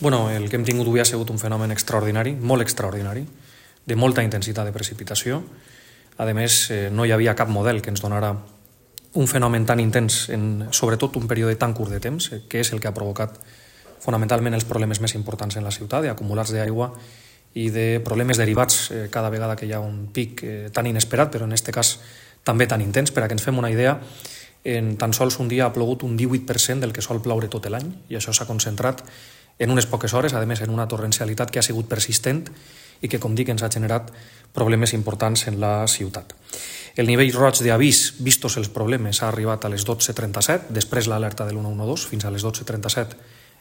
El que hem tingut avui ha sigut un fenomen extraordinari, molt extraordinari, de molta intensitat de precipitació. A més, no hi havia cap model que ens donara un fenomen tan intens en sobretot un període tan curt de temps, que és el que ha provocat fonamentalment els problemes més importants en la ciutat, d'acumulats d'aigua i de problemes derivats cada vegada que hi ha un pic tan inesperat, però en aquest cas també tan intens. Per a que ens fem una idea, en tan sols un dia ha plogut un 18% del que sol ploure tot l'any, i això s'ha concentrat en unes poques hores, a més en una torrencialitat que ha sigut persistent i que, com dic, ens ha generat problemes importants en la ciutat. El nivell roig d'avís, vistos els problemes, ha arribat a les 12:37, després l'alerta de l'112, fins a les 12:37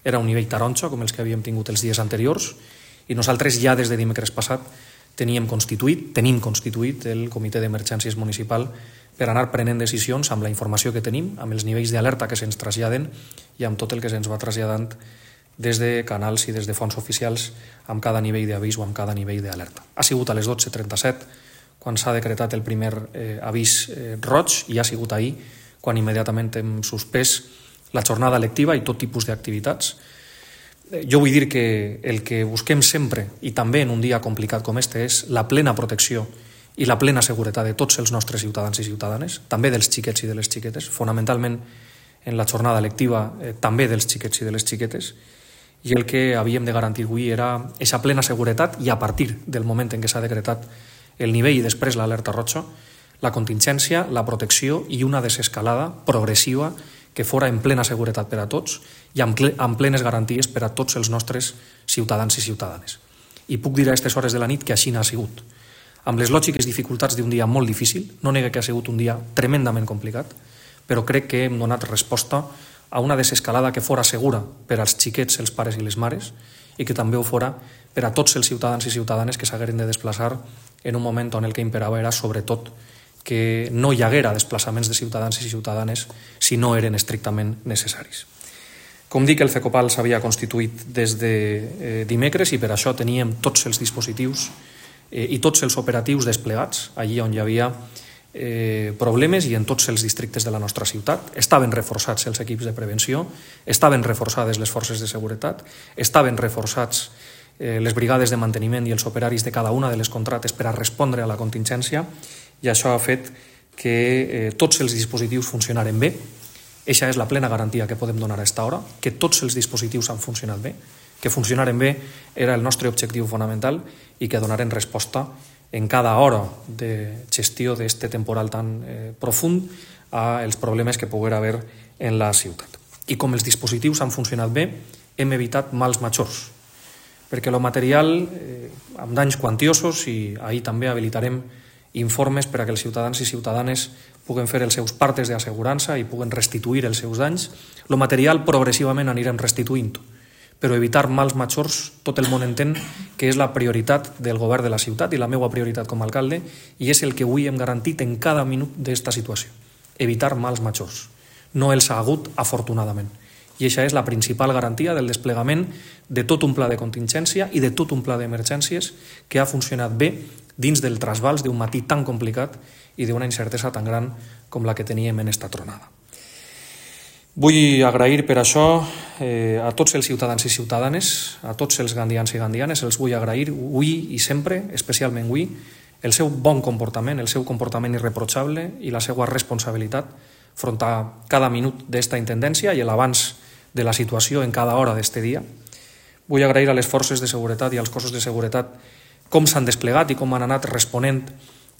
era un nivell taronja, com els que havíem tingut els dies anteriors, i nosaltres ja des de dimecres passat tenim constituït el comitè d'emergències municipal per anar prenent decisions amb la informació que tenim, amb els nivells d'alerta que se'ns traslladen i amb tot el que se'ns va traslladant des de canals i des de fonts oficials amb cada nivell d'avís o amb cada nivell d'alerta. Ha sigut a les 12:37 quan s'ha decretat el primer avís roig i ha sigut ahir quan immediatament hem suspès la jornada lectiva i tot tipus d'activitats. Jo vull dir que el que busquem sempre, i també en un dia complicat com este, és la plena protecció i la plena seguretat de tots els nostres ciutadans i ciutadanes, també dels xiquets i de les xiquetes, fonamentalment en la jornada lectiva també dels xiquets i de les xiquetes, i el que havíem de garantir avui era aquesta plena seguretat i a partir del moment en què s'ha decretat el nivell i després l'alerta roja, la contingència, la protecció i una desescalada progressiva que fora en plena seguretat per a tots i amb plenes garanties per a tots els nostres ciutadans i ciutadanes. I puc dir a aquestes hores de la nit que així n'ha sigut. Amb les lògiques dificultats d'un dia molt difícil, no nega que ha sigut un dia tremendament complicat, però crec que hem donat resposta a una desescalada que fora segura per als xiquets, els pares i les mares, i que també ho fora per a tots els ciutadans i ciutadanes que s'hagueren de desplaçar en un moment on el que imperava era sobretot que no hi haguera desplaçaments de ciutadans i ciutadanes si no eren estrictament necessaris. Com dic, el CECOPAL s'havia constituït des de dimecres i per això teníem tots els dispositius i tots els operatius desplegats allí on hi havia problemes i en tots els districtes de la nostra ciutat. Estaven reforçats els equips de prevenció, estaven reforçades les forces de seguretat, estaven reforçats les brigades de manteniment i els operaris de cada una de les contrates per a respondre a la contingència, i això ha fet que tots els dispositius funcionaren bé. Eixa és la plena garantia que podem donar a aquesta hora, que tots els dispositius han funcionat bé, que funcionaren bé era el nostre objectiu fonamental i que donaren resposta en cada hora de gestió d'aquest temporal tan profund als problemes que poguera haver en la ciutat. I com els dispositius han funcionat bé, hem evitat mals majors, perquè el material amb danys quantiosos, i ahir també habilitarem informes per a que els ciutadans i ciutadanes puguen fer els seus partes d'assegurança i puguen restituir els seus danys, el material progressivament anirem restituint-ho, però evitar mals majors, tot el món entén que és la prioritat del govern de la ciutat i la meva prioritat com a alcalde, i és el que avui hem garantit en cada minut d'esta situació, evitar mals majors. No els ha hagut, afortunadament. I això és la principal garantia del desplegament de tot un pla de contingència i de tot un pla d'emergències que ha funcionat bé dins del trasbals d'un matí tan complicat i d'una incertesa tan gran com la que teníem en esta tronada. Vull agrair per això a tots els ciutadans i ciutadanes, a tots els gandians i gandianes, els vull agrair avui i sempre, especialment avui, el seu bon comportament, el seu comportament irreprotxable i la seva responsabilitat front a cada minut d'esta intendència i l'abans de la situació en cada hora d'este dia. Vull agrair a les forces de seguretat i als cossos de seguretat com s'han desplegat i com han anat responent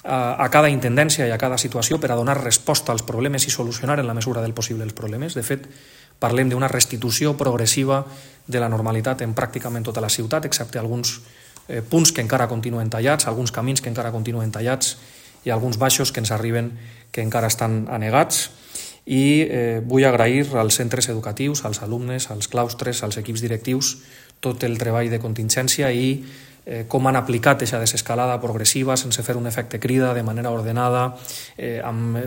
a cada intendència i a cada situació per a donar resposta als problemes i solucionar en la mesura del possible els problemes. De fet, parlem d'una restitució progressiva de la normalitat en pràcticament tota la ciutat, excepte alguns punts que encara continuen tallats, alguns camins que encara continuen tallats i alguns baixos que ens arriben que encara estan anegats. I vull agrair als centres educatius, als alumnes, als claustres, als equips directius, tot el treball de contingència i com han aplicat aquesta desescalada progressiva sense fer un efecte crida, de manera ordenada,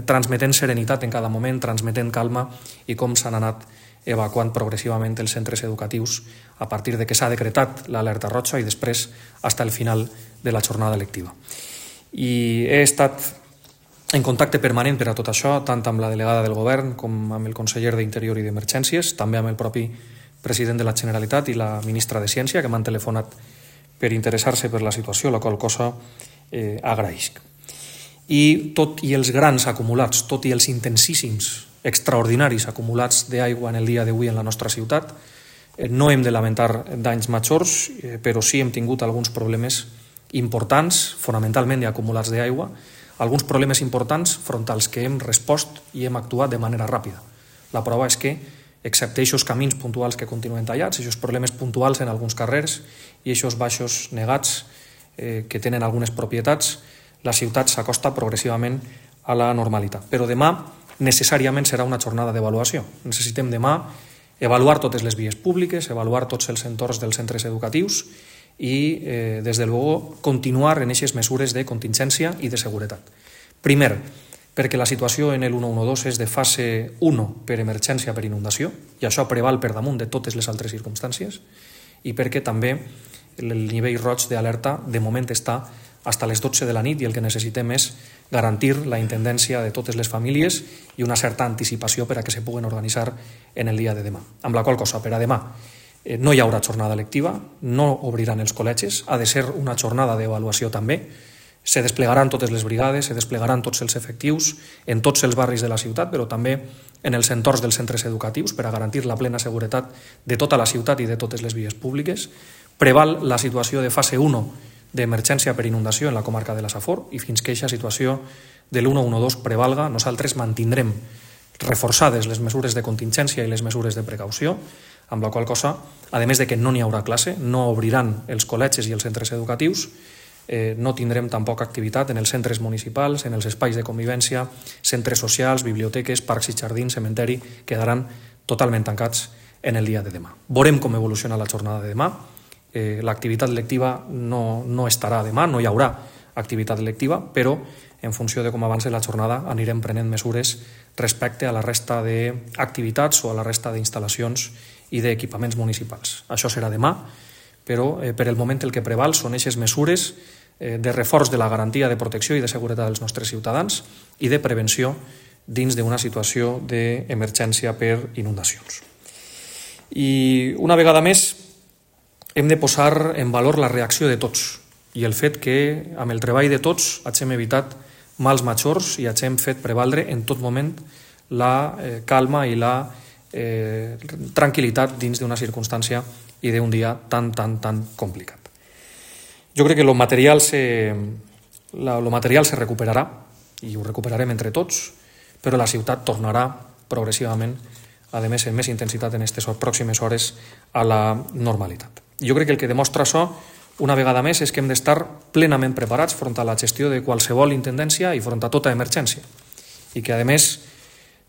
transmetent serenitat en cada moment, transmetent calma, i com s'han anat evacuant progressivament els centres educatius a partir de que s'ha decretat l'alerta roja i després fins al final de la jornada lectiva. I he estat en contacte permanent per a tot això, tant amb la delegada del govern com amb el conseller d'Interior i d'Emergències, també amb el propi president de la Generalitat i la ministra de Ciència, que m'han telefonat per interessar-se per la situació, la qual cosa agraïsc. I tot i els grans acumulats, tot i els intensíssims, extraordinaris acumulats d'aigua en el dia d'avui en la nostra ciutat, no hem de lamentar danys majors, però sí hem tingut alguns problemes importants, fonamentalment acumulats d'aigua, alguns problemes importants front als que hem respost i hem actuat de manera ràpida. La prova és que, excepte aquests camins puntuals que continuen tallats, aquests problemes puntuals en alguns carrers i aquests baixos negats que tenen algunes propietats, la ciutat s'acosta progressivament a la normalitat. Però demà necessàriament serà una jornada d'avaluació. Necessitem demà avaluar totes les vies públiques, avaluar tots els entorns dels centres educatius i, des de luego, continuar en aquestes mesures de contingència i de seguretat. Primer, perquè la situació en el 112 és de fase 1 per emergència per inundació, i això preval per damunt de totes les altres circumstàncies, i perquè també el nivell roig d'alerta de moment està fins a les 12 de la nit i el que necessitem és garantir la intendència de totes les famílies i una certa anticipació per a que se puguen organitzar en el dia de demà. Amb la qual cosa, per a demà, no hi haurà jornada lectiva, no obriran els col·legis, ha de ser una jornada d'avaluació també, se desplegaran totes les brigades, se desplegaran tots els efectius en tots els barris de la ciutat, però també en els entorns dels centres educatius per a garantir la plena seguretat de tota la ciutat i de totes les vies públiques. Preval la situació de fase 1 d'emergència per inundació en la comarca de la Safor i fins que aquesta situació de l'112 prevalga, nosaltres mantindrem reforçades les mesures de contingència i les mesures de precaució, amb la qual cosa, a més de que no n'hi haurà classe, no obriran els col·legis i els centres educatius, no tindrem tampoc activitat en els centres municipals, en els espais de convivència, centres socials, biblioteques, parcs i jardins, cementeri, quedaran totalment tancats en el dia de demà. Veurem com evoluciona la jornada de demà. L'activitat lectiva no estarà demà, no hi haurà activitat lectiva, però en funció de com avanci la jornada anirem prenent mesures respecte a la resta d'activitats o a la resta d'instal·lacions i d'equipaments municipals. Això serà demà, però per el moment el que preval són aquestes mesures de reforç de la garantia de protecció i de seguretat dels nostres ciutadans i de prevenció dins d'una situació d'emergència per inundacions. I una vegada més hem de posar en valor la reacció de tots i el fet que amb el treball de tots hagem evitat mals majors i hagem fet prevaldre en tot moment la calma i la tranquil·litat dins d'una circumstància i d'un dia tan complicat. Jo crec que lo material se recuperarà i ho recuperarem entre tots, però la ciutat tornarà progressivament, a més en més intensitat en aquestes pròximes hores, a la normalitat. Jo crec que el que demostra això, una vegada més, és que hem d'estar plenament preparats front a la gestió de qualsevol intendència i front a tota emergència. I que, a més,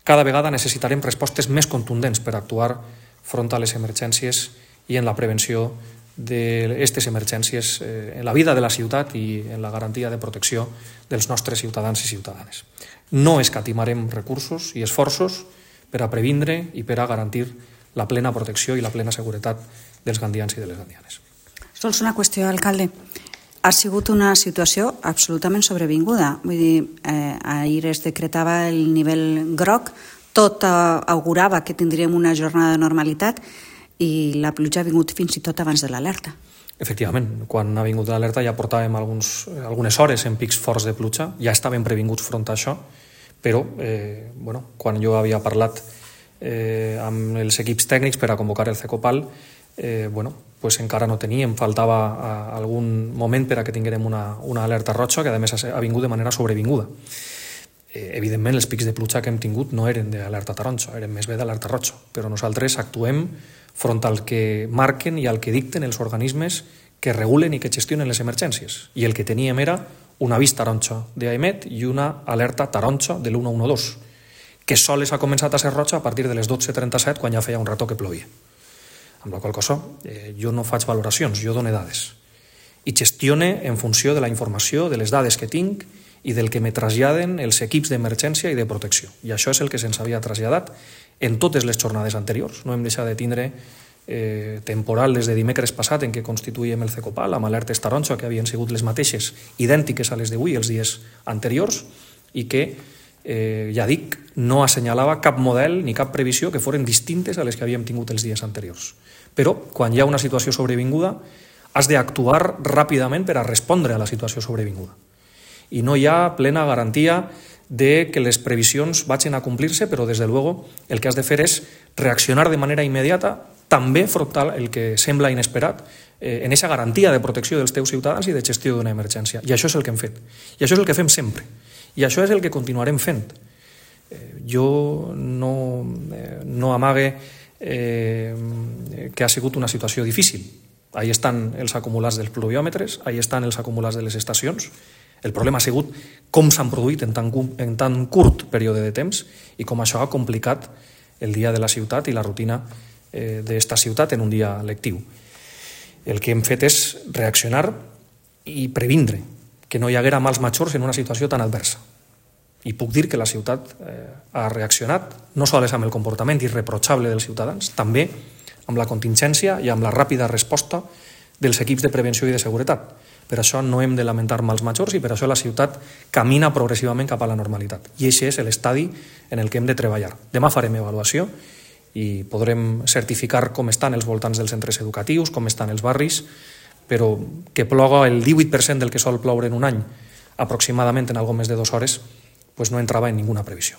cada vegada necessitarem respostes més contundents per actuar front a les emergències i en la prevenció d'aquestes emergències en la vida de la ciutat i en la garantia de protecció dels nostres ciutadans i ciutadanes. No escatimarem recursos i esforços per a previndre i per a garantir la plena protecció i la plena seguretat dels gandians i de les gandianes. Sols una qüestió, alcalde. Ha sigut una situació absolutament sobrevinguda. Vull dir, ahir es decretava el nivell groc, tot augurava que tindríem una jornada de normalitat i la pluja ha vingut fins i tot abans de l'alerta. Efectivament, quan ha vingut l'alerta ja portàvem algunes hores en pics forts de pluja, ja estàvem previnguts front a això, però quan jo havia parlat amb els equips tècnics per a convocar el CECOPAL, encara no teníem, faltava algun moment per a que tinguérem una alerta roja que a més ha vingut de manera sobrevinguda. Evidentment els pics de pluja que hem tingut no eren d'alerta taronja, eren més bé d'alerta roja, però nosaltres actuem front al que marquen i al que dicten els organismes que regulen i que gestionen les emergències. I el que teníem era un avís taronja d'AEMET i una alerta taronja de l'112, que sols ha començat a ser roja a partir de les 12:37 quan ja feia un rato que plovia. Amb la qual cosa jo no faig valoracions, jo dono dades. I gestione en funció de la informació, de les dades que tinc i del que me traslladen els equips d'emergència i de protecció. I això és el que se'ns havia traslladat en totes les jornades anteriors. No hem deixat de tindre temporal des de dimecres passat en què constituïm el CECOPAL amb alertes taronja que havien sigut les mateixes, idèntiques a les d'avui els dies anteriors i que ja dic, no assenyalava cap model ni cap previsió que foren distintes a les que havíem tingut els dies anteriors. Però, quan hi ha una situació sobrevinguda, has d'actuar ràpidament per a respondre a la situació sobrevinguda. I no hi ha plena garantia de que les previsions vagin a complir-se, però, des de luego, el que has de fer és reaccionar de manera immediata, també frontal el que sembla inesperat, en aquesta garantia de protecció dels teus ciutadans i de gestió d'una emergència. I això és el que hem fet. I això és el que fem sempre. I això és el que continuarem fent. Jo no amague que ha sigut una situació difícil. Ahí estan els acumulats dels pluviòmetres, ahí estan els acumulats de les estacions. El problema ha sigut com s'han produït en tan curt període de temps i com això ha complicat el dia de la ciutat i la rutina d'esta ciutat en un dia lectiu. El que hem fet és reaccionar i previndre que no hi haguera mals majors en una situació tan adversa. I puc dir que la ciutat ha reaccionat no sols amb el comportament irreprotxable dels ciutadans, també amb la contingència i amb la ràpida resposta dels equips de prevenció i de seguretat. Per això no hem de lamentar mals majors i per això la ciutat camina progressivament cap a la normalitat. I aquest és l'estadi en el que hem de treballar. Demà farem avaluació i podrem certificar com estan els voltants dels centres educatius, com estan els barris, però que ploga el 18% del que sol ploure en un any, aproximadament en algo més de 2 hores, pues no entrava en ninguna previsió.